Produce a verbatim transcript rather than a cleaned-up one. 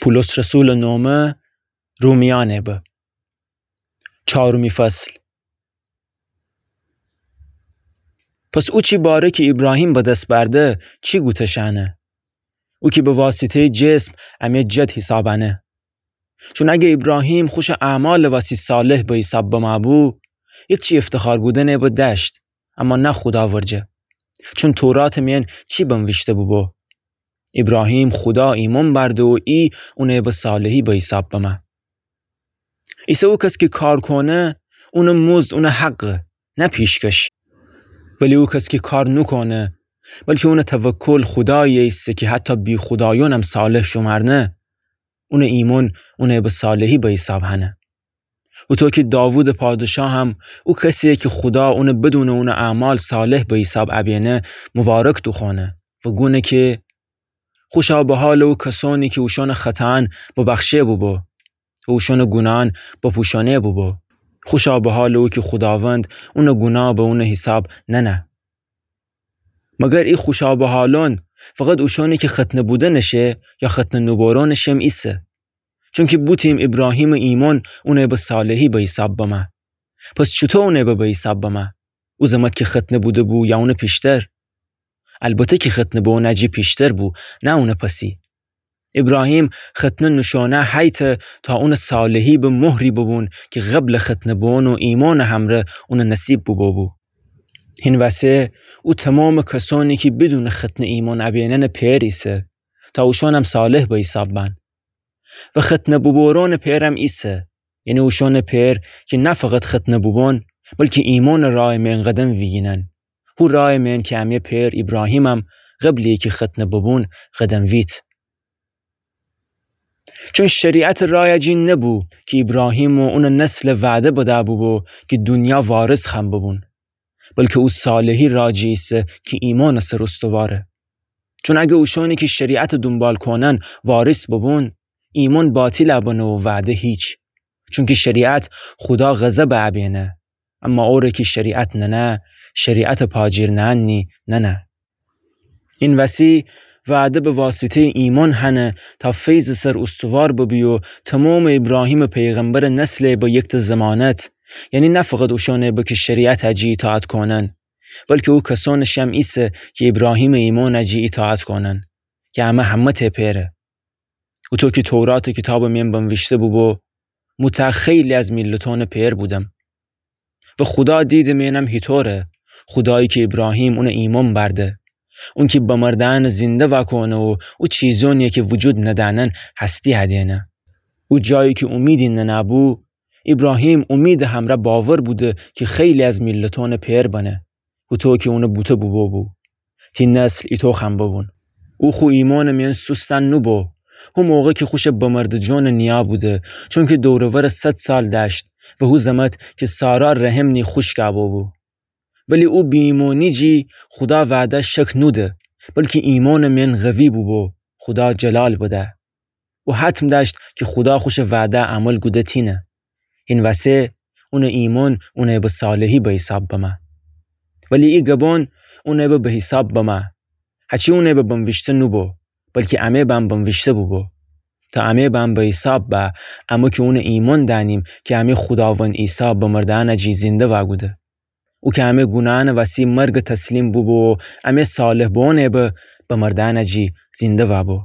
پولس رسولٚ نومه رومیأنٚ به. چارومی فصل. پس او چی باره کی ایبراهیم به دس برده، چی گوته شأنه؟ او کی به واسطه‌یٚ جسم امه جد حیساب انه. چون اگر ایبراهیم خوشٚ اعمالٚ وسی صالح به حیساب بمه بو، هیچی افتخار کودنٚ به دأشت، اما نه خودا ورجه. چون توراتٚ مئن چی بنویشته بوبو؟ ایبراهیم خودا ایمأن برده و ای اونٚ به صالحی به حیساب بمه. ایسه او کس کی کار کونه، اونٚ مزد اونٚ حقه، نه پیشکش. ولی او کس کی کار نوکونه، بلکی اونٚ توکل خودایی ایسه کی حتی بی‌خودایأنم صالح شومأرنه، اونٚ ایمأن اونٚ به صالحی به حیساب هنه. هوطو کی داوودٚ پادشاهم او کسی‌یه کی خودا اونٚ بدونٚ اونٚ اعمال صالح به حیساب ابینه، مبارک دوخوأنه و گونه کی خوشا به حالٚ او کسأنی کی اوشأنٚ خطأیأن ببخشه بوبو و اوشأنٚ گوناهأن بپوشأنه بوبو. خوشا به حالٚ او کی خوداوند اونٚ گوناه به اونٚ حیساب ننه. مگر ای خوشا به حالأن فقط اوشأنی کی ختنه بودنٚ شه یا ختنه نوبوروئونٚ شم ایسه؟ چونکی بوتیم ایبراهیمٚ ایمأن اونٚ به صالحی به حیساب بمه. پس چوطو اونٚ به به حیساب بمه؟ او زمت کی ختنه بوده‌بو یا اونٚ پیشتر؟ البته کی ختنه بوئونٚ جی پیشتر بو، نه اونٚ پسی. ایبراهیم ختنه نوشوئونه هیته تا اونٚ صالحی به مهری ببون کی قبلٚ ختنه بوئون و ایمأنٚ همرأ اونٚ نصیب بوبو بو. هین وسه او تومامٚ کسأنی کی بدونٚ ختنه ایمأن ابیننٚ پئر ایسه، تا اوشأنم صالح به حیساب بأن. و ختنه بوبوروئونٚ پئرم ایسه، یعنی اوشأنٚ پئر کی نه فقط ختنه بوبون، بلکی ایمأنٚ راهٚ مئن قدم ویگینن. هو راهٚ مئن کی امه پئر ایبراهیمم قبلٚ کی ختنه ببون قدم ویت. چون شریعتٚ راهٚ جی نبو کی ایبراهیم و اونٚ نسلٚ وعده بده بوبو کی دونیا وارث خوأن ببون، بلکی او صالحی راهٚ جی ایسه کی ایمأنٚ سر استواره. چون اگر اوشأنی کی شریعتٚ دونبال کونن وارث ببون، ایمأن باطیل ابنه و وعده هیچ. چونکی شریعت خودا غضب ابینه، اما اوره کی شریعت ننه، شریعتٚ پاجیر نئنی ننه. هین وسی وعده به واسطه‌یٚ ایمأن هنه تا فیضٚ سر استوار ببی و تومامٚ ایبراهیمٚ پیغمبرٚ نسلٚ به یکته ضمانت، یعنی نه فقط اوشأنٚ به کی شریعتٚ جی ایطاعت کونن، بلکی او کسأنٚ شم ایسه کی ایبراهیمٚ ایمأنٚ جی ایطاعت کونن، کی امه همه‌تأ پئره. هوطو کی توراتٚ کیتابٚ مئن بنویشته بوبو، مو تأ خیلی از میلتأنٚ پئر بودم. و خودا دیدٚ مئنم هیطوره، خودایی کی ایبراهیم اونٚ ایمأن برده، اون کی بمرده‌یأن زینده واکونه و او چیزأنی کی وجود ندأنن هستی هدینه. او جایی کی اومیدی ننه‌بو، ایبراهیم اومیدٚ همرأ باور بوده کی خیلی از میلتأنٚ پئر بنه، هوطو کی اونٚ بوته بوبو بو. تی نسل ایطو خوأن ببون. او خو ایمأنٚ مئن سوستن نوبو، هو موقع کی خوشٚ بمرده جانٚ نیا بوده، چونکی دور و ورٚ صد سال دأشت و هو زمت کی سارا رحم نی خوشکأ بوبو. ولی او بی‌ایمأنی جی خودا وعده شک نوده، بلکی ایمأنٚ مئن قوی بوبو، خودا جلال بده. او حتم دأشت کی خودا خوشٚ وعده عمل کوده تینه. هین وسه اونٚ ایمأن اونٚ به صالحی به حیساب بمه. ولی ای گبان اونٚ به به حیساب بمه. هچی اونٚ به بنویشته نوبو، بلکی امه بم بنویشته بوبو. تا امه بم به حیساب به، امه کی اونٚ ایمأن دأنیم کی امه خوداوند عیسی بمرده‌یأنٚ جی زینده واکوده. او کی امه گوناهأنٚ وسی مرگٚ تسلیم بوبو و امه صالح بوئونٚ به بمرده‌یأنٚ جی زینده وابو.